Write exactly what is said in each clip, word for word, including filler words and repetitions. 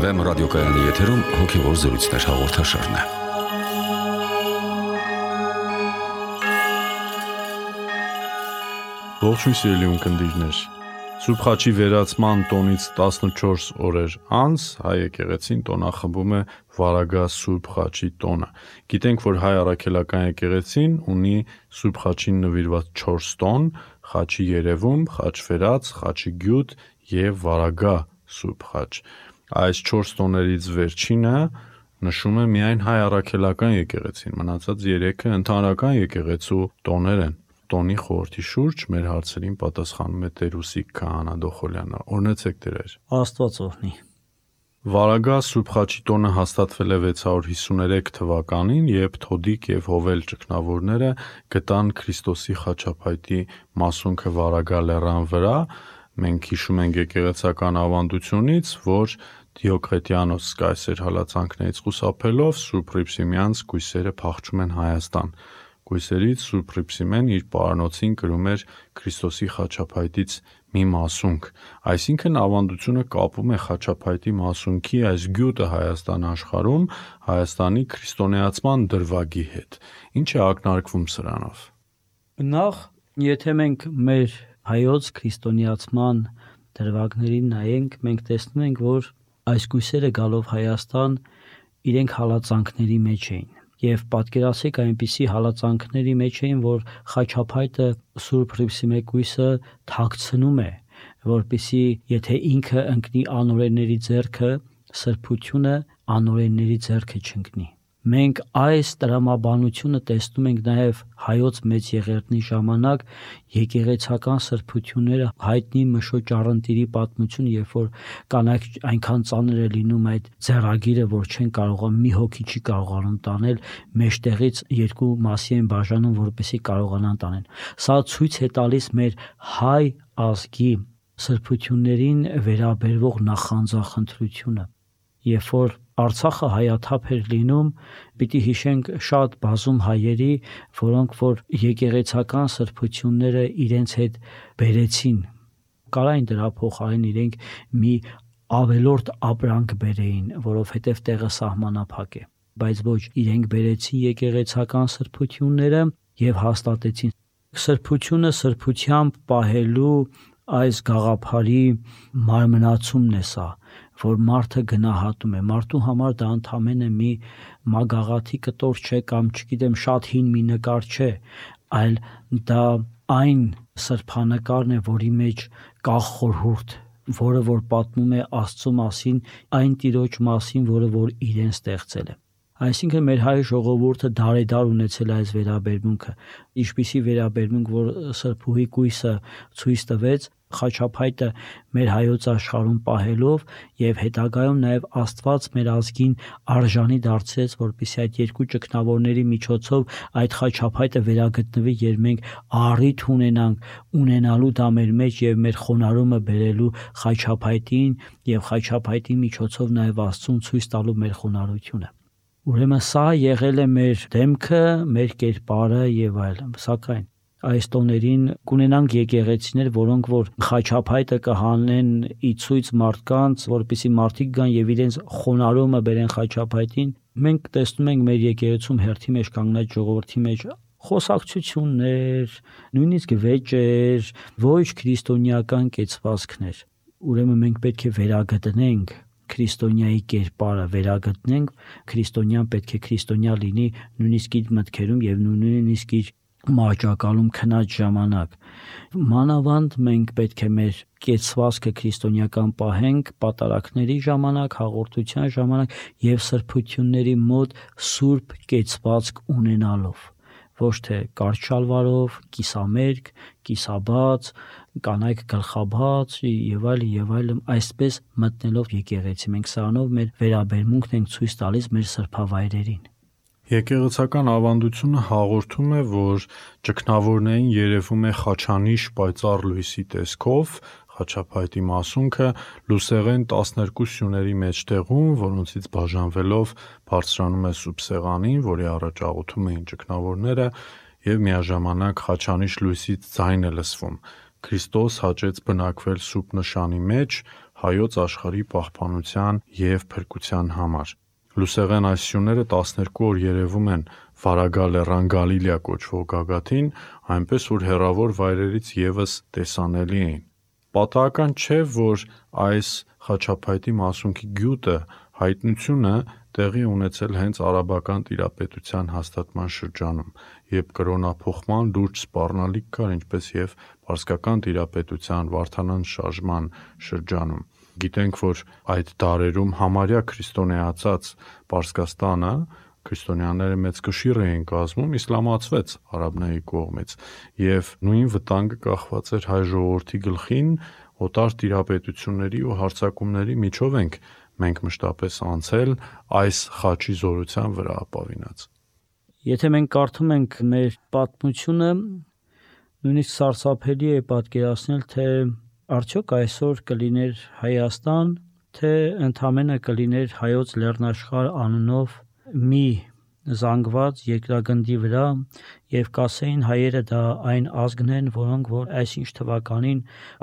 Վեմ ռադիոկայանի եթերում հոգևոր զրույցներ հաղորդաշարն է։ Ողջույն սիրելի ունկնդիրներ։ Սուրբ Խաչի վերացման տոնից տասնչորս օրեր անց հայ եկեղեցին տոնախմբում է Վարագա Սուրբ Խաչի տոնը։ Գիտենք, որ հայ առաքելական եկեղեցին ունի Սուրբ Խաչին նվիրված չորս տոն՝ Խաչի երևում, Խաչ վերած, Խաչի գյուտ եւ Վարագա Սուրբ Խաչ։ Այս չորս տոներից վերջինը նշում է միայն հայ առաքելական եկեղեցին, մնացած երեքը ընդհանրական եկեղեցու տոներ են։ Տոնի խորհրդի շուրջ մեր հարցերին պատասխանում է Տեր Ուսիկ Քահանա Դոխոլյանը։ Օրհնեցեք Տեր։ Աստված օրհնի։ Վարագա Սուրբ Խաչի տոնը հաստատվել է վեց հարյուր հիսուներեք թվականին, երբ Թոդիկ եւ Հովել ճգնավորները գտան Քրիստոսի խաչափայտի մասունքը Վարագա լեռան վրա։ Մենք հիշում ենք եկեղեցական ավանդությունից, որ Դիոկլետիանոս կայսեր հալածանքներից խուսափելով Սուրբ Հռիփսիմյանց կույսերը փախչում են Հայաստան։ Կույսերից Սուրբ Հռիփսիմեն իր պարանոցին կրում էր Քրիստոսի խաչափայտից մի մասունք, այսինքն ավանդությունը կապում է խաչափայտի մասունքի այս գյուտը Հայաստան աշխարհում Հայաստանի քրիստոնեացման դրվագի հետ։ Ինչ է ակնարկվում սրանով։ Նախ, եթե մենք մեր հայոց քրիստոնեացման դրվագներին նայենք, մենք տեսնում ենք, որ այս կույսերը գալով Հայաստան իրենք հալածանքների մեջ էին։ Եվ պատկերացրեք այնպիսի հալածանքների մեջ էին, որ խաչափայտը Սուրբ Հռիփսիմե կույսը թաքցնում է, որպեսզի եթե ինքը ընկնի անօրենների ձեռքը, սրբությունը անօրենների ձեռքը չընկնի։ Մենք այս տրամաբանությունը տեսնում ենք նաև հայոց մեծ եղերնի ժամանակ եկեղեցական սրբությունները հայտնի Մշոջ Առընտիրի պատմություն, երբ որ կանայք այնքան ծանր է լինում այդ ձեռագիրը, որ չեն կարողանում, մի հոգի չի կարողանում տանել, մեջտեղից երկու մասի են բաժանում, որպեսզի կարողանան տանեն։ Սա ցույց է տալիս մեր հայ ազգի սրբություններին վերաբերվող նախանձախնդրությունը։ Երբ որ Արցախը հայաթափ էր լինում, պիտի հիշենք շատ բազում հայերի, որոնք որ եկեղեցական սրբությունները իրենց հետ բերեցին, կարային դրա փոխարեն իրենք մի ավելորդ ապրանք բերեին, որովհետև տեղը սահմանափակ է, բայց ոչ, իրենք բերեցին եկեղեցական սրբությունները եւ հաստատեցին։ Սրբությունը սրբությամբ պահելու այս գաղափարի մարմնացումն է սա, որ մարդը գնահատում է, մարդու համար դա ընդամենը մի մագաղաթի կտոր չէ կամ չգիտեմ շատ հին մի նկար չէ, այլ դա այն սրբանկարն է, որի մեջ կա խորհուրդ, որը որ պատմում է Աստծո մասին, այն Տիրոջ մասին, որը որ իրեն ստեղծել է։ Այսինքն մեր հայ ժողովուրդը դարեդար ունեցել այս վերաբերմունքը, ինչպիսի վերաբերմունք, որ սրբուհի կույսը ցույց տվեց խաչափայտը մեր հայոց աշխարհում պահելով եւ հետագայում նաեւ Աստված մեր ազգին արժանի դարձրեց, որպեսզի այդ երկու ճգնավորների միջոցով այդ խաչափայտը վերագտնվի, եւ մենք առիթ ունենանք ունենալու դա մեր մեջ եւ մեր խոնարհումը բերելու խաչափայտին եւ խաչափայտի միջոցով նաեւ Աստծուն ցույց տալու մեր խոնարհությունը։ Ուրեմն սա եղել է մեր դեմքը, մեր կերպարը եւ այլն, սակայն այս տոներին կունենանք եկեղեցիներ, որոնք որ խաչափայտը կհանեն ի ցույց մարդկանց, որպեսզի մարդիկ գան եւ իրենց խոնարհումը բերեն խաչափայտին։ Մենք տեսնում ենք մեր եկեղեցում հերթի մեջ կանգնած ժողովրդի մեջ խոսակցություններ, նույնիսկ վեճեր, ոչ քրիստոնեական կեցվածքներ։ Ուրեմն մենք պետք է վերագտնենք քրիստոնյայի կերպարը, վերագտնենք քրիստոնյան պետք է քրիստոնյա լինի նույնիսկ իր մտքերում եւ նույնիսկ իր մահճակալում քնած ժամանակ։ Մանավանդ մենք պետք է մեր կեցվածքը քրիստոնեական պահենք պատարակների ժամանակ, հաղորդության ժամանակ եւ սրբությունների մոտ սուրբ կեցվածք ունենալով, ոչ թե կարճ շալվարով, կիսամերկ, կիսաբաց, կանայք գլխաբաց եւ այլ եւ այլն, այսպես մտնելով եկեղեցի մենք սրանով մեր վերաբերմունքն ենք ցույց տալիս մեր սրբավայրերին։ Եկեղեցական ավանդությունը հաղորդում է, որ ճգնավորներին երևում է խաչանիշ պայծառ լույսի տեսքով, խաչափայտի մասունքը լուսեղեն տասներկու սյուների մեջտեղում, որոնցից բաժանվելով բարձրանում է սուրբ սեղանին, որի առաջ աղոթում էին ճգնավորները, եւ միաժամանակ խաչանիշ լույսի ձայն է լսվում։ Քրիստոս հաճեց բնակվել սուրբ նշանի մեջ հայոց աշխարհի պահպանության և փրկության համար։ Լուսեղեն այսյունները տասներկու օր երևում են Վարագա լեռան Գալիլեա կոչվող գագաթին, այնպես որ հեռավոր վայրերից ևս տեսանելի էին։ Պատահական չէ, որ այս խաչափայտի մասունքի գյուտը, հայտնությունը տեղի ունեցել հենց արաբական տիրապետության հաստատման շրջանում, երբ կրոնափոխման լուրջ սպառնալիք կար, ինչպես և պարսկական տիրապետության, Վարդանանց շարժման շրջանում։ Գիտենք, որ այդ դարերում համարյա քրիստոնեացած Պարսկաստանը, քրիստոնյաները մեծ կշիռ էին կազմում, իսլամացվեց արաբների կողմից, և նույն վտանգը կախված էր հայ ժողովրդի գլխին, օտար տիրապետությունների ու հարձակումների միջով ենք մենք մշտապես անցել այս խաչի զորության վրա ապավինած։ Եթե մենք կարդում ենք մեր պատմությունը, նույնիսկ սարսափելի է պատկերացնել, թե արդյոք այսօր կլիներ Հայաստան, թե ընդամենը կլիներ Հայոց լեռնաշխարհ անունով մի զանգված երկրագնդի վրա, և կասեին հայերը դա այն ազգն են, որոնք որ այսինչ թվականին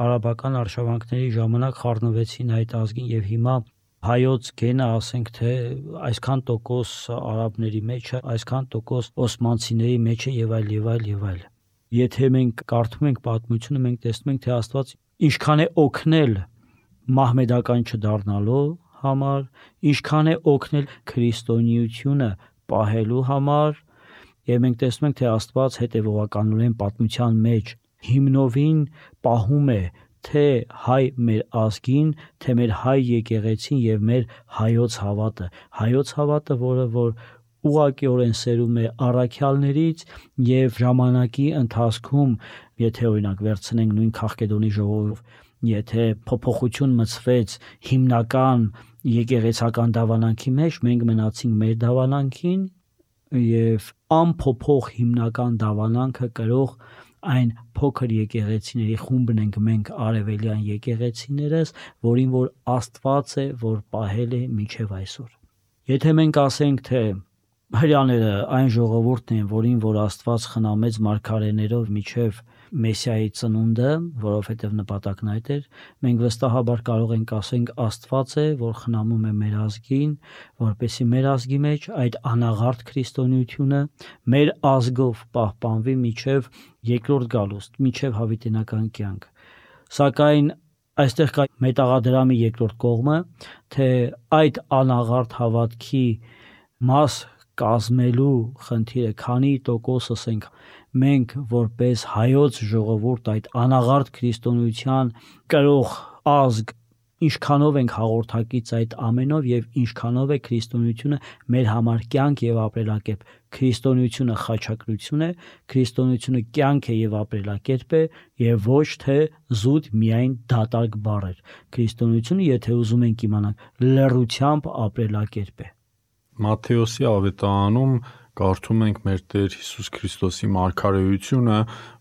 արաբական արշավանքների ժամանակ խառնվեցին այդ ազգին, և հիմա հայոց գենը, ասենք թե այսքան տոկոս արաբների մեջ է, այսքան տոկոս օսմանցիների մեջ է եւ այլ եւ այլ եւ այլ։ Եթե մենք կարդում ենք պատմությունը, մենք տեսնում ենք, թե Աստված ինչքան է օգնել մահմեդական չդառնալու համար, ինչքան է օգնել քրիստոնեությունը պահելու համար, եւ մենք տեսնում ենք, թե Աստված հետեւողականորեն պատմության մեջ հիմնովին պահում է թե հայ մեր ազգին, թե մեր հայ եկեղեցին եւ մեր հայոց հավատը, հայոց հավատը, որը որ ուղղակիորեն սերում է առաքյալներից եւ ժամանակի ընթացքում, եթե օրինակ վերցնենք նույն Քաղկեդոնի ժողով, եթե փոփոխություն մտցվեց հիմնական եկեղեցական դավանանքի մեջ, մենք մնացինք մեր դավանանքին եւ անփոփոխ հիմնական դավանանքը կրող այն փոքր եկեղեցիների խումբն ենք մենք արևելյան եկեղեցիներս, որին որ Աստված է, որ պահել է մինչև այսօր։ Եթե մենք ասենք, թե հրյաները այն ժողովուրդն են, որին որ Աստված խնամեց մարգարեներով մինչև Մեսիայի ծնունդը, որովհետև նպատակն այդ էր, մենք վստահաբար կարող ենք ասենք Աստված է, որ խնամում է մեր ազգին, որպեսզի մեր ազգի մեջ այդ անաղարտ քրիստոնեությունը մեր ազգով պահպանվի մինչև երկրորդ գալուստ, մինչև հավիտենական կյանք։ Սակայն այստեղ կա մետաղադրամի երկրորդ կողմը, թե այդ անաղարտ հավատքի մաս կազմելու խնդիրը, քանի տոկոսս ենք մենք որպես հայոց ժողովուրդ այդ անաղարտ քրիստոնեության կրող ազգ, ինչքանով ենք հաղորդակից այդ ամենով եւ ինչքանով է քրիստոնեությունը մեր համար կյանք եւ ապրելակերպ։ Քրիստոնեությունը խաչակրություն է, քրիստոնեությունը կյանք է եւ ապրելակերպ է եւ ոչ թե զուտ միայն դատարկ բառեր։ Քրիստոնեությունը, եթե ուզում ենք իմանալ, լռությամբ ապրելակերպ է։ Մատթեոսի ավետարանում կարդում ենք մեր Տեր Հիսուս Քրիստոսի մարգարեությունը,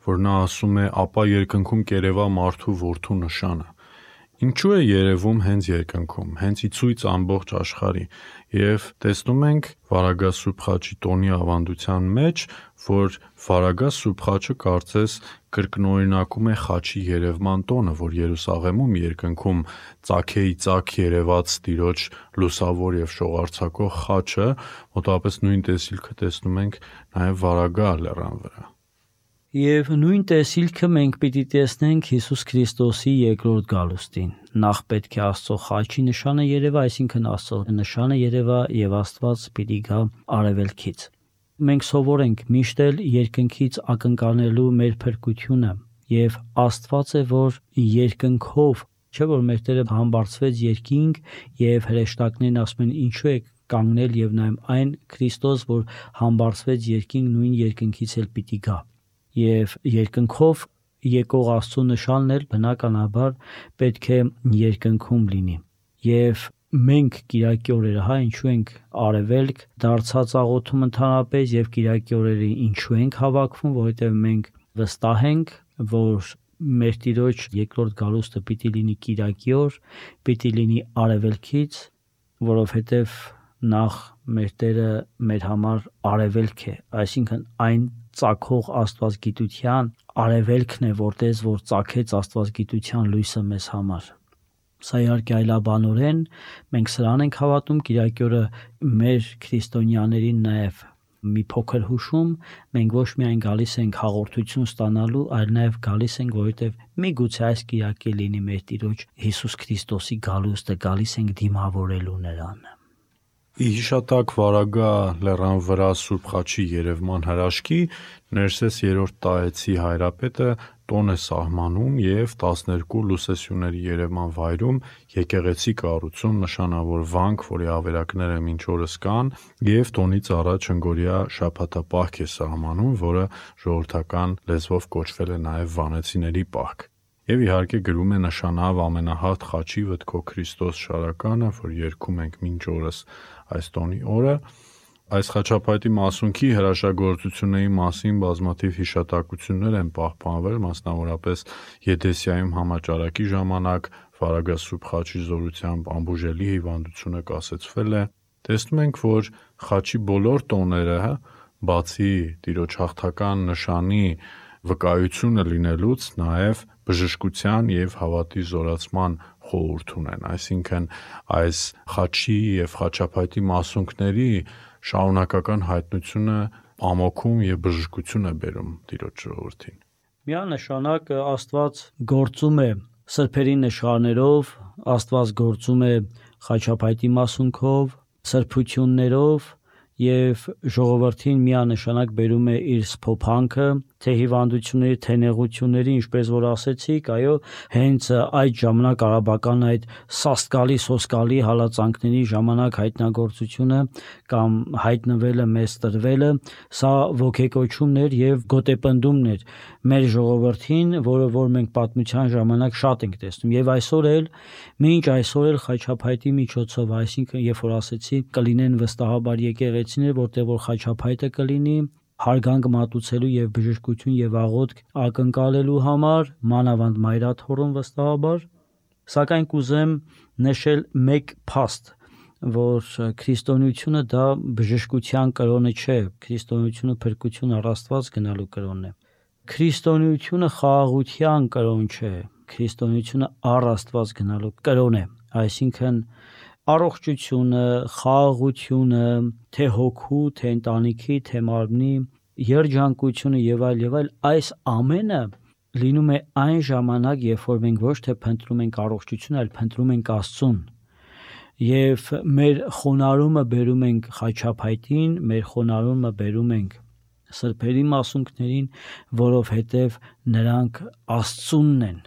որ նա ասում է. «Ապա երկնքում կերևա մարդու որդու նշանը»։ Ինչու է երևում հենց երկնքում, հենց ի ցույց ամբողջ աշխարհի, եւ տեսնում ենք Վարագա Սուրբ խաչի տոնի ավանդության մեջ, որ Վարագա Սուրբ խաչը կարծես կրկնօրինակում է խաչի երևման տոնը, որ Երուսաղեմում երկնքում ծագեի ծագ երևաց Տիրոջ լուսավոր եւ շողարցակող խաչը, մոտավորապես նույն տեսիլքը տեսնում ենք նաեւ Վարագա լեռան վրա։ Եվ նույն տեսիլքը մենք պիտի տեսնենք Հիսուս Քրիստոսի երկրորդ գալուստին։ Նախ պետք է Աստծո խաչի նշանը երևա, այսինքն Աստծո նշանը երևա եւ Աստված պիտի գա արևելքից։ Մենք սովոր ենք միշտ էլ երկնքից ակնկալելու մեր փրկությունը եւ Աստված է, որ երկնքով, չէ՞ որ մեր Տերը համբարձվեց երկինք եւ հրեշտակներն ասում են ինչու է կանգնել եւ նայում այն Քրիստոս, որ համբարձվեց երկինք, նույն երկնքից էլ պիտի գա։ Եվ երկնքով եկող Աստծո նշանն էլ բնականաբար պետք է երկնքում լինի։ Եվ մենք Կիրակի օրերը, հա, ինչու ենք արևելք դարձած աղոթում ընդհանրապես եւ Կիրակի օրերը ինչու ենք հավաքվում, որովհետեւ մենք վստահ ենք, որ մեր Տիրոջ երկրորդ գալուստը պիտի լինի Կիրակի օր, պիտի լինի արևելքից, որովհետեւ նախ մեր Տերը մեր համար արևելք է, այսինքն այն ծագող աստվածգիտության արևելքն է, որտես որ ծագեց աստվածգիտության լույսը մեզ համար։ Սա իհարկե այլաբանորեն մենք սրան ենք հավատում, Կիրակի օրը մեր քրիստոնյաներին նաև մի փոքր հուշում, մենք ոչ միայն գալիս ենք հաղորդություն ստանալու, այլ նաև գալիս ենք, որովհետև միգուցե այս Կիրակի լինի մեր Տիրոջ Հիսուս Քրիստոսի գալուստը, գալիս ենք դիմավորելու նրան։ Ի հիշատակ վարագա լեռան վրա Սուրբ Խաչի երևման հրաշքի Ներսես երրորդ տարեցի հայրապետը տոն է սահմանում և տասներկու լուսեսյուների երևման վայրում եկեղեցի կառուցում, նշանավորվանք, որի ավերակները մինչ օրս կան, և տոնից առաջ հնգօրյա շաբաթապահք է սահմանում, որը ժողովրդական լեզվով կոչվել է նաև Վանեցիների պահք։ Եվ իհարկե գրում է նշանավ ամենահարթ խաչի վտքո Քրիստոս շարականը, որ երգում ենք մինչ օրս այս տոնի օրը։ Այս խաչապայտի մասունքի հրաշագործությունների մասին բազմաթիվ հիշատակություններ են պահպանվել, մասնավորապես Եդեսիայում համաճարակի ժամանակ վարագա Սուրբ Խաչի զորությամբ անբուժելի հիվանդությունը կասեցվել է։ Տեսնում ենք, որ խաչի բոլոր տոները, բացի Տիրոջ հաղթական նշանի վկայությունը լինելուց, նաև բժշկության և հավատի զորացման խորհուրդ ունեն, այսինքն այս խաչի և խաչապայտի մասունքների շարունակական հայտնությունը ամոքում և բժշկություն է բերում Տիրոջ ժողովրդին։ Միանշանակ Աստված գործում է սրբերի նշաններով, Աստված գործում է խաչապայտի մասունքով, սրբություններով և ժողովրդին միանշանակ բերում է իր սփոփանքը, թե հիվանդությունների, թե նեղությունների, ինչպես որ ասեցիք, այո, հենց այդ ժամանակ արաբական այդ սաստկալի, սոսկալի հալածանքների ժամանակ հայտնագործությունը կամ հայտնվելը, մեզ տրվելը, սա ոգեկոչումն էր և գոտեպնդումն էր մեր ժողովրդին, որը որ մենք պատմության ժամանակ շատ ենք տեսնում, և այսօր էլ, մինչ այսօր էլ խաչապայտի միջոցով, այսինքն երբ որ ասեցի կլինեն վստահաբար եկեղեցիներ, որտեղ որ խաչապայտը կլինի հարգանք մատուցելու և բժշկություն և աղոթք ակնկալելու համար, մանավանդ մայրաթոռում վստահաբար, սակայն կուզեմ նշել մեկ փաստ, որ քրիստոնեությունը դա բժշկության կրոնը չէ, քրիստոնեությունը փրկություն առ Աստված գնալու կրոնն է։ Քրիստոնեությունը խաղաղության կրոն չէ, քրիստոնեությունը առ Աստված գնալու կրոն է, այսինքն առողջությունը, խաղաղությունը, թե հոգու, թե ընտանիքի, թե մարմնի, երջանկությունը եւ այլ եւ այլ, այս ամենը լինում է այն ժամանակ, երբ որ մենք ոչ թե փնտրում ենք առողջություն, այլ փնտրում ենք Աստծուն։ Եվ մեր խոնարհումը բերում ենք խաչապայտին, մեր խոնարհումը բերում ենք սրբերի մասունքներին, որովհետև նրանք Աստծունն են,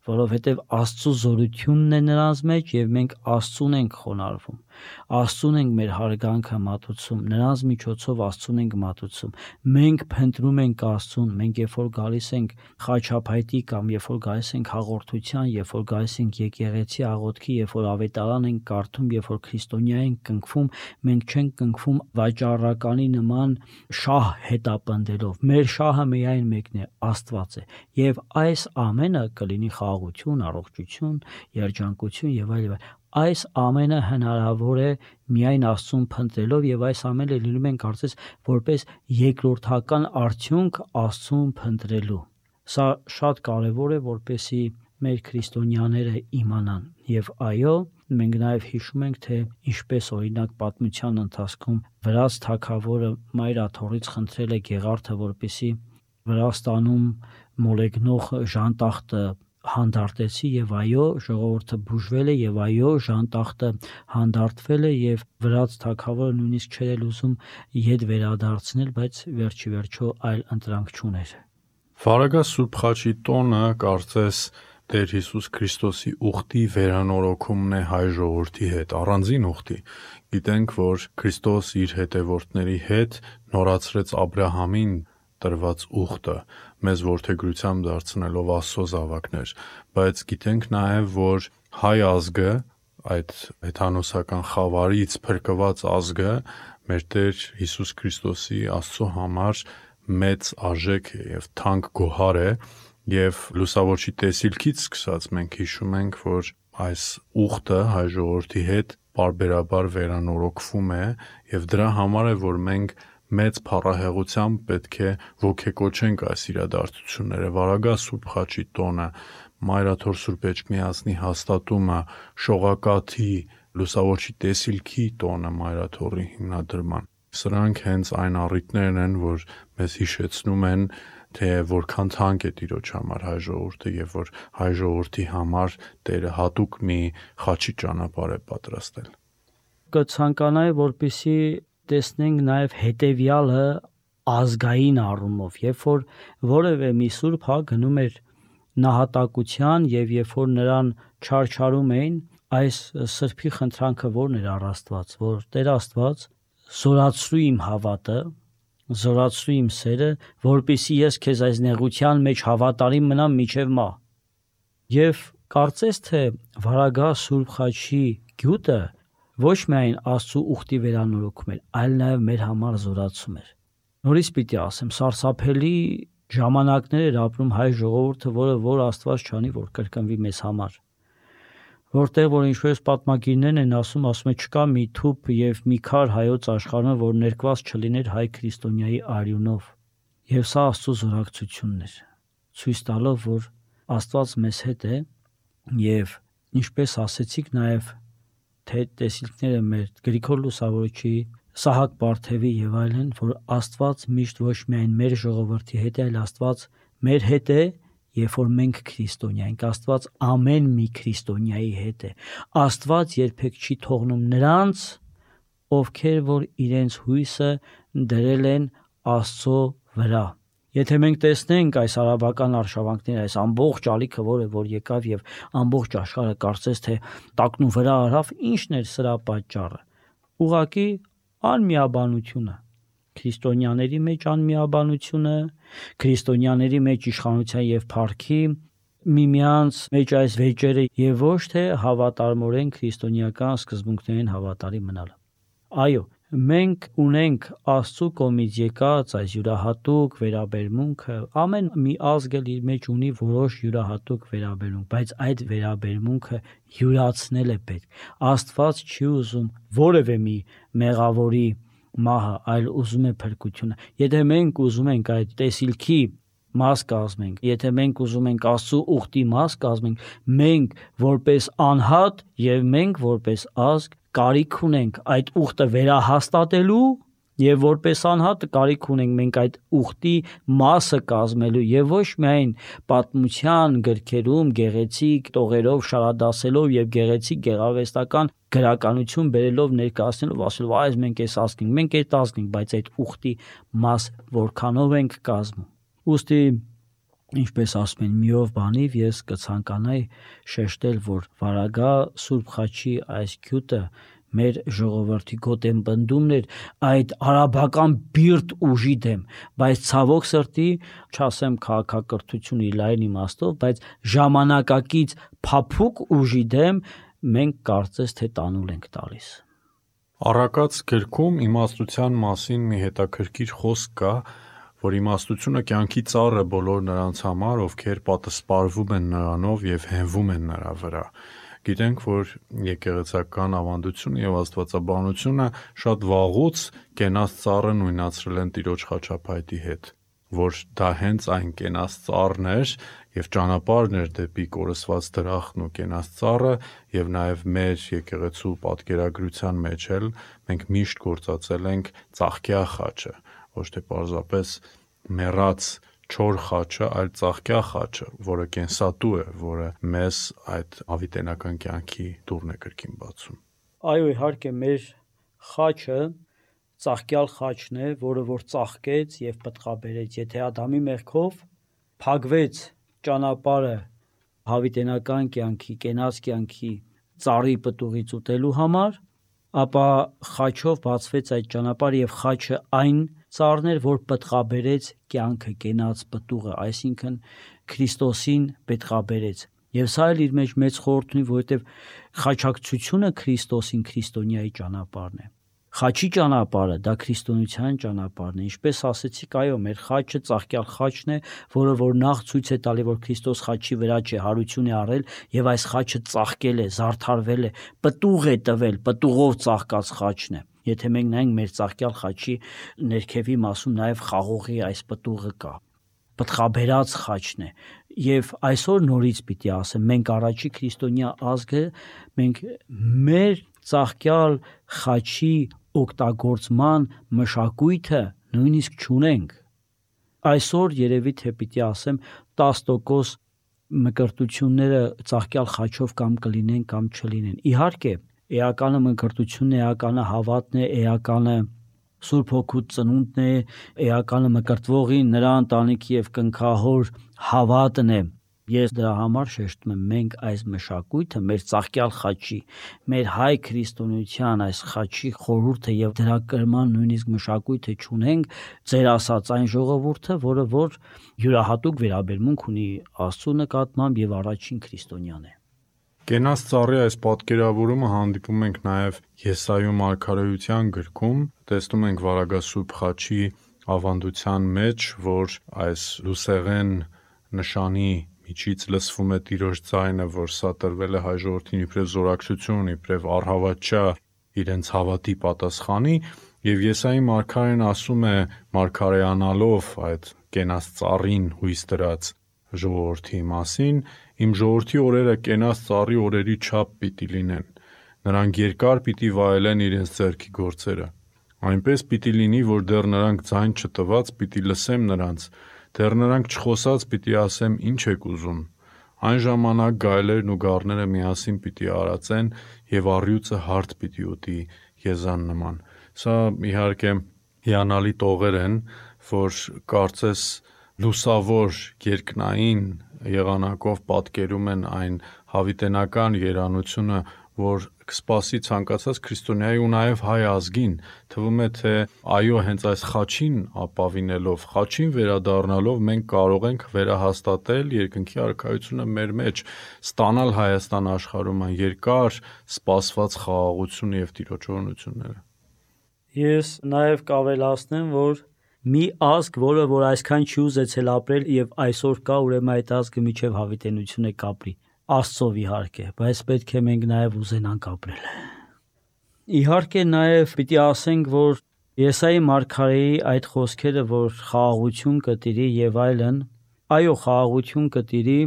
որովհետև Աստծո զորությունն է նրանց մեջ և մենք Աստծուն ենք խոնարհվում, Աստծուն ենք մեր հարգանքը մատուցում, նրանց միջոցով Աստծուն ենք մատուցում, մենք փնտրում ենք Աստծուն, մենք երբ որ գալիս ենք խաչապայտի կամ երբ որ գալիս ենք հաղորդության, երբ որ գալիս ենք եկեղեցի աղոթքի, երբ որ ավետարան ենք կարդում, երբ որ քրիստոնյա ենք կնքվում, մենք չենք կնքվում վաճառականի նման շահ հետապնդելով, մեր շահը միայն մեկն է, Աստված է, և այս ամենը կլինի խաղաղություն, առողջություն, երջանկություն եւ այլ եւ այլ։ Այս ամենը հնարավոր է միայն Աստծուն փնտրելով եւ այս ամենը լինում են կարծես որպես երկրորդական արդյունք Աստծուն փնտրելու։ Սա շատ կարեւոր է, որպեսզի մեր քրիստոնյաները իմանան եւ այո, մենք նաեւ հիշում ենք, թե ինչպես օրինակ պատմության ընթացքում Վրաց թագավորը Մայրաթոռից խնդրել է Գեղարդը, որպեսզի Վրաստանում մոլեգնող ժանտախտը հանդարտեցի եւ այո, ժողովուրդը բուժվել է եւ այո, ժանտախտը հանդարտվել է եւ Վրաց թագավորը նույնիսկ չէր ուզում ետ վերադարձնել, բայց վերջի վերջո այլ ընտրանք չուներ։ Վարագա Սուրբ Խաչի տոնը կարծես Տեր Հիսուս Քրիստոսի ուխտի վերանորոգումն է հայ ժողովրդի հետ, առանձին ուխտի։ Գիտենք, որ Քրիստոս իր հետևորդների հետ նորացրեց Աբրահամին տրված ուխտը, մեզ որդեգրությամբ դարձնելով Աստծո զավակներ, բայց գիտենք նաև, որ հայ ազգը, այդ հեթանոսական խավարից փրկված ազգը, մեր Տեր Հիսուս Քրիստոսի Աստծո համար մեծ արժեք է եւ թանկ գոհար է, եւ լուսավորչի տեսիլքից սկսած մենք հիշում ենք, որ այս ուխտը հայ ժողովրդի հետ պարբերաբար վերանորոգվում է եւ դրա համար է, որ մենք մեծ փառահեղությամբ պետք է ոգեկոչենք այս իրադարձությունները, Վարագա Սուրբ Խաչի տոնը, Մայրաթոր Սուրբ Էջմիածնի հաստատումը, Շողակաթի, Լուսավորչի տեսիլքի տոնը Մայրաթորի հիմնադրման։ Սրանք հենց այն առիթներն են, որ մեզ հիշեցնում են, թե որքան թանկ է Տիրոջ համար հայ ժողովուրդը եւ որ հայ ժողովրդի համար Տերը հատուկ մի խաչի ճանապարհ է պատրաստել։ Կցանկանայի, որպեսզի տեսնենք նաեւ հետեւյալը ազգային առումով, երբ որ որևէ մի սուրբ հա գնում էր նահատակության եւ երբ որ նրան չարչարում էին, այս սրբի խնդրանքը ո՞րն էր առ Աստված, որ Տեր Աստված զորացրու իմ հավատը, զորացրու իմ սերը, որպեսզի ես քեզ այս նեղության մեջ հավատարիմ մնամ մինչև մահ։ Եվ կարծես թե Վարագա Սուրբ Խաչի գյուտը ոչ միայն Աստծո ուխտի վերանորոգում էր, այլ նաև մեր համար զորացում էր։ Նորից պիտի ասեմ, սարսափելի ժամանակներ էր ապրում հայ ժողովուրդը, որը որ Աստված չանի, որ կրկնվի մեզ համար։ Որտեղ որ ինչպես պատմագիրներն են ասում, ասում է չկա մի թուփ եւ մի քար հայոց աշխարհում, որ ներկված չլիներ հայ քրիստոնյայի արյունով։ Եվ սա Աստծո զորակցությունն էր, ցույց տալով, որ Աստված մեզ հետ է եւ ինչպես ասեցիք նաեւ թե տեսիլքները մեր Գրիգոր Լուսավորչի, Սահակ Բարթևի եւ այլն, որ Աստված միշտ ոչ միայն մեր ժողովրդի հետ է, այլ Աստված մեր հետ է, երբ որ մենք քրիստոնյա ենք, Աստված ամեն մի քրիստոնյայի հետ է։ Աստված երբեք չի թողնում նրանց, ովքեր որ իրենց հույսը դրել են Աստծո վրա։ Եթե մենք տեսնենք այս արաբական արշավանքները, այս ամբողջ ալիքը, որը որ եկավ եւ ամբողջ աշխարհը կարծես թե տակնու վրա արավ, ի՞նչն էր սրա պատճառը։ Ուղղակի անմիաբանությունը, քրիստոնյաների մեջ անմիաբանությունը, քրիստոնյաների մեջ իշխանության եւ փառքի, միմյանց մեջ այս վեճերը եւ ոչ թե հավատարմորեն քրիստոնեական սկզբունքներին հավատարիմ մնալը։ Այո, մենք ունենք Աստծո կողմից եկած այս յուրահատուկ վերաբերմունքը, ամեն մի ազգ էլ իր մեջ ունի որոշ յուրահատուկ վերաբերմունք, բայց այդ վերաբերմունքը յուրացնել է պետք։ Աստված չի ուզում որևէ մի մեղավորի մահը, այլ ուզում է փրկությունը։ Եթե մենք ուզում ենք այդ տեսիլքի մաս կազմենք, եթե մենք ուզում ենք Աստծո ուխտի մաս կազմենք, մենք որպես անհատ եւ մենք որպես ազգ կարիք ունենք այդ ուխտը վերահաստատելու եւ որպես անհատ կարիք ունենք մենք այդ ուխտի մասը կազմելու եւ ոչ միայն պատմության գրքերում գեղեցիկ տողերով շարադասելով եւ գեղեցիկ գեղարվեստական գրականություն բերելով ներկայացնելով ասելով այս մենք էս ազգ ենք, մենք այդ ազգ ենք, բայց այդ ուխտի մաս որքանով ենք կազմում։ Ուստի ինչպես ասում են միով բանիվ ես կցանկանայի շեշտել, որ Վարագա Սուրբ Խաչի այս գյուտը մեր ժողովրդի գոտեն բնդումն էր այդ արաբական բիրտ ուժի դեմ, բայց ցավոք սրտի, չասեմ քաղաքակրթություն իր լայն իմաստով, բայց ժամանակակից փափուկ ուժի դեմ մենք կարծես թե տանուլ ենք տալիս։ Առակաց գրքում իմաստության մասին մի հետաքրքիր խոսք կա, որ իմաստությունը կյանքի ծառ է բոլոր նրանց համար, ովքեր պատասպարվում են նրանով եւ հենվում են նրա վրա։ Գիտենք, որ եկեղեցական ավանդությունը եւ աստվածաբանությունը շատ վաղուց կենաց ծառը նույնացրել են Տիրոջ խաչապայտի հետ, որ դա հենց այն կենաց ծառն էր եւ ճանապարհն էր դեպի կորսված դրախտն ու կենաց ծառը եւ նաեւ մեր եկեղեցու պատկերագրության մեջ էլ մենք միշտ գործածել ենք ծաղկյա խաչը, ոչ թե պարզապես մեռած չոր խաչը, այլ ծաղկյա խաչը, որը կենսատու է, որը մեզ այդ ավիտենական կյանքի դուռն է կրկին բացում։ Այո, իհարկե մեր խաչը ծաղկյալ խաչն է, որը որ ծաղկեց եւ պտղաբերեց։ Եթե Ադամի մեղքով փակվեց ճանապարհը հավիտենական կյանքի, կենաց կյանքի ծառի պտուղից ուտելու համար, ապա խաչով բացվեց այդ ճանապարհը եւ խաչը այն ծառն էր, որ պտղաբերեց կյանքը, կենաց պտուղը, այսինքն Քրիստոսին պտղաբերեց։ Եվ սա էլ իր մեջ մեծ խորհուրդ ունի, որովհետև խաչակցությունը Քրիստոսին քրիստոնյայի ճանապարհն է։ Խաչի ճանապարհը դա քրիստոնեության ճանապարհն է։ Ինչպես ասեցիք, այո, մեր խաչը ծաղկյալ խաչն է, որը որ նախ ցույց է տալի, որ Քրիստոս խաչի վրա չէ, հարություն է առել եւ այս խաչը ծաղկել է, զարդարվել է, պտուղ է տվել, պտուղով ծաղկած խաչն է։ Եթե մենք նայենք մեր ծաղկյալ խաչի ներքևի մասում նաև խաղողի այս պտուղը կա, պտղաբերած խաչն է, եւ այսօր նորից պիտի ասեմ, մենք առաջի քրիստոնյա ազգը, մենք մեր ծաղկյալ խաչի օգտագործման մշակույթը նույնիսկ չունենք։ Այսօր երևի թե պիտի ասեմ տասը տոկոս մկրտությունները ծաղկյալ խաչով կամ կլինեն կամ չլինեն։ Իհարկե, էականը մկրտությունն է, էականը հավատն է, էականը Սուրբ Հոգու ծնունդն է, էականը մկրտվողի նրա ընտանիքի եւ կնքահոր հավատն է։ Ես դրա համար շեշտում եմ, մենք այս մշակույթը, մեր ծաղկյալ խաչի, մեր հայ քրիստոնեության այս խաչի խորհուրդը եւ դրա կրման նույնիսկ մշակույթը չունենք, ձեր ասած այն ժողովուրդը, որը որ յուրահատուկ վերաբերմունք ունի Աստծո նկատմամբ եւ առաջին քրիստոնյան է։ Կենաց ծառի այս պատկերավորումը հանդիպում ենք նաև Եսայու մարգարեության գրքում, տեսնում ենք վարագասուրբ խաչի ավանդության մեջ, որ այս լուսեղեն նշանի միջից լսվում է Տիրոջ ձայնը, որ սա տրվել է հայ ժողովրդին իբրև զորակցություն, իբրև առհավատչա իրենց հավատի պատասխանի, եւ Եսայի մարգարեն ասում է մարգարեանալով այդ կենաց ծառին հույս դրած ժողովրդի մասին, իմ ժողովրդի օրերը կենաց ծառի օրերի չափ պիտի լինեն, նրանք երկար պիտի վայելեն իրենց ձեռքի գործերը, այնպես պիտի լինի, որ դեռ նրանք ձայն չտված պիտի լսեմ նրանց, դեռ նրանք չխոսած պիտի ասեմ ինչ եք ուզում, այն ժամանակ գայլերն ու գառները միասին պիտի արածեն եւ առյուծը հարթ պիտի ուտի եզան նման։ Սա իհարկե հիանալի տողեր են, որ կարծես լուսավոր երկնային եղանակով պատկերում են այն հավիտենական երանությունը, որ կսպասի ցանկացած քրիստոնյայի ու նաև հայ ազգին, թվում է թե այո, հենց այս խաչին ապավինելով, խաչին վերադառնալով մենք կարող ենք վերահաստատել երկնքի արքայությունը մեր մեջ, ստանալ Հայաստան աշխարհում այն երկար սպասված խաղաղությունը եւ տիրոջօրությունները։ Ես նաև կավելացնեմ, որ մի ազգ, որը որ այսքան չի ուզեցել ապրել եւ այսօր կա, ուրեմն այդ ազգը միջև հավիտենություն է կապրի, Աստծով իհարկե, բայց պետք է մենք նաև ուզենանք ապրել։ Իհարկե նաև պիտի ասենք, որ Եսայի մարգարեի այդ խոսքերը, որ խաղաղություն կտիրի եւ այլն, այո, խաղաղություն կտիրի,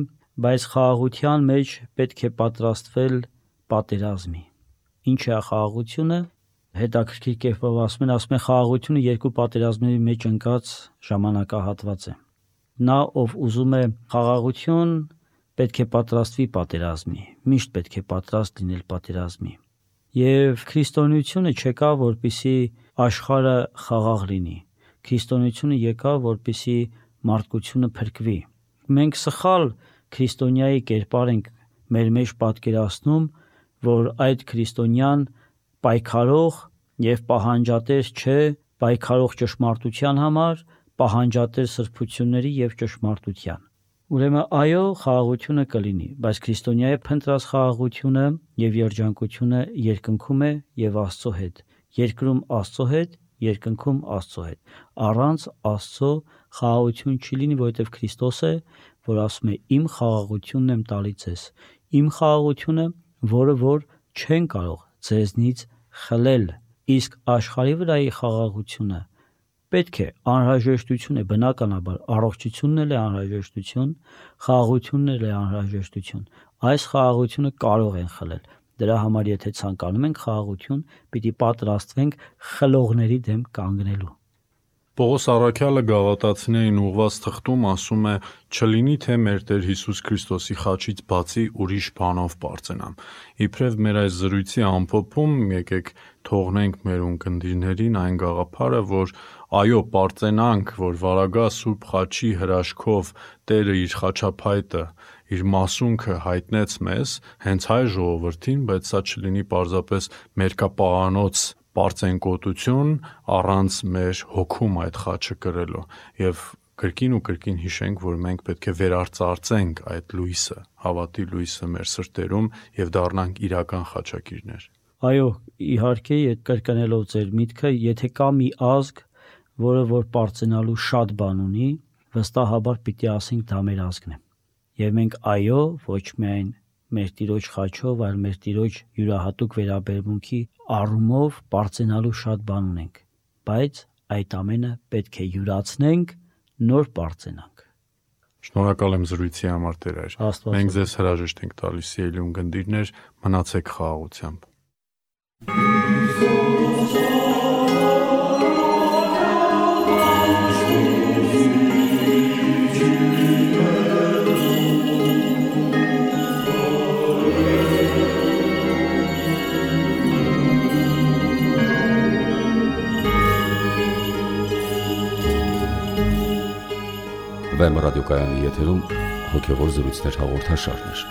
բայց խաղաղության մեջ պետք է պատրաստվել պատերազմի։ Ինչ է խաղաղությունը։ Հետաքրքիր կերպով ասում են, ասում են խաղաղությունը երկու պատերազմների մեջ ընկած ժամանակահատված է։ Նա, ով ուզում է խաղաղություն, պետք է պատրաստվի պատերազմի, միշտ պետք է պատրաստ լինել պատերազմի։ Եվ քրիստոնեությունը չեկա, որպեսզի աշխարհը խաղաղ լինի։ Քրիստոնեությունը եկա, որպեսզի մարդկությունը փրկվի։ Մենք սխալ քրիստոնյայի կերպար ենք մեր մեջ պատկերացնում, որ այդ քրիստոնյան պայքարող եւ պահանջատեր չէ, պայքարող ճշմարտության համար, պահանջատեր սրբությունների եւ ճշմարտության։ Ուրեմն այո, խաղաղությունը կլինի, բայց քրիստոնյայի փնտրած խաղաղությունը եւ երջանկությունը երկնքում է եւ Աստծո հետ, երկրում Աստծո հետ, երկնքում Աստծո հետ։ Առանց Աստծո խաղաղություն չի լինի, որովհետեւ Քրիստոս է, որ ասում է իմ խաղաղությունն եմ տալի ձեզ, իմ խաղաղությունը, որը որ չեն կարող ձեզնից խլել, իսկ աշխարհի վրայի խաղաղությունը պետք է անհրաժեշտություն է, բնականաբար առողջությունն էլ է անհրաժեշտություն, խաղաղությունն էլ է անհրաժեշտություն, այս խաղաղությունը կարող են խլել, դրա համար եթե ցանկանում ենք խաղաղություն, պիտի պատրաստվենք խլողների դեմ կանգնելու։ Պողոս առաքյալը գաղատացիներին ուղված թղթում ասում է. «Չլինի թե մեր Տեր Հիսուս Քրիստոսի խաչից բացի ուրիշ բանով պարծենամ»։ Իբրև մեր այս զրույցի ամփոփում եկեք թողնենք մեր ունկնդիրներին այն գաղափարը, որ այո, պարծենանք, որ վարագա Սուրբ խաչի հրաշքով Տերը իր խաչափայտը, իր մասունքը հայտնեց մեզ, հենց հայ ժողովրդին, բայց սա չլինի պարզապես մերկապաղանոց պարծենկոտություն առանց մեր հոգում այդ խաչը կրելու եւ կրկին ու կրկին հիշենք, որ մենք պետք է վերարծարծենք այդ լույսը, հավատի լույսը մեր սրտերում եւ դառնանք իրական խաչակիրներ։ Այո, իհարկե, կրկնելով ձեր միտքը, եթե կա մի ազգ, որը որ պարծենալու շատ բան ունի, վստահաբար պիտի ասենք դա մեր ազգն է։ Եվ մենք այո, ոչ միայն մեր Տիրոջ խաչով, այլ մեր Տիրոջ յուրահատուկ վերաբերմունքի առումով պարծենալու շատ բան ունենք, բայց այդ ամենը պետք է յուրացնենք, նոր պարծենանք։ Շնորհակալ եմ զրույցի համար, Տեր Հայր։ Մենք ձեզ հրաժեշտ ենք տալիս, սիրելի ունկնդիրներ, մնացեք խաղաղությամբ։ Վեմ ռադիոկայանի եթերում հոգևոր զրույցներ հաղորդաշարներ։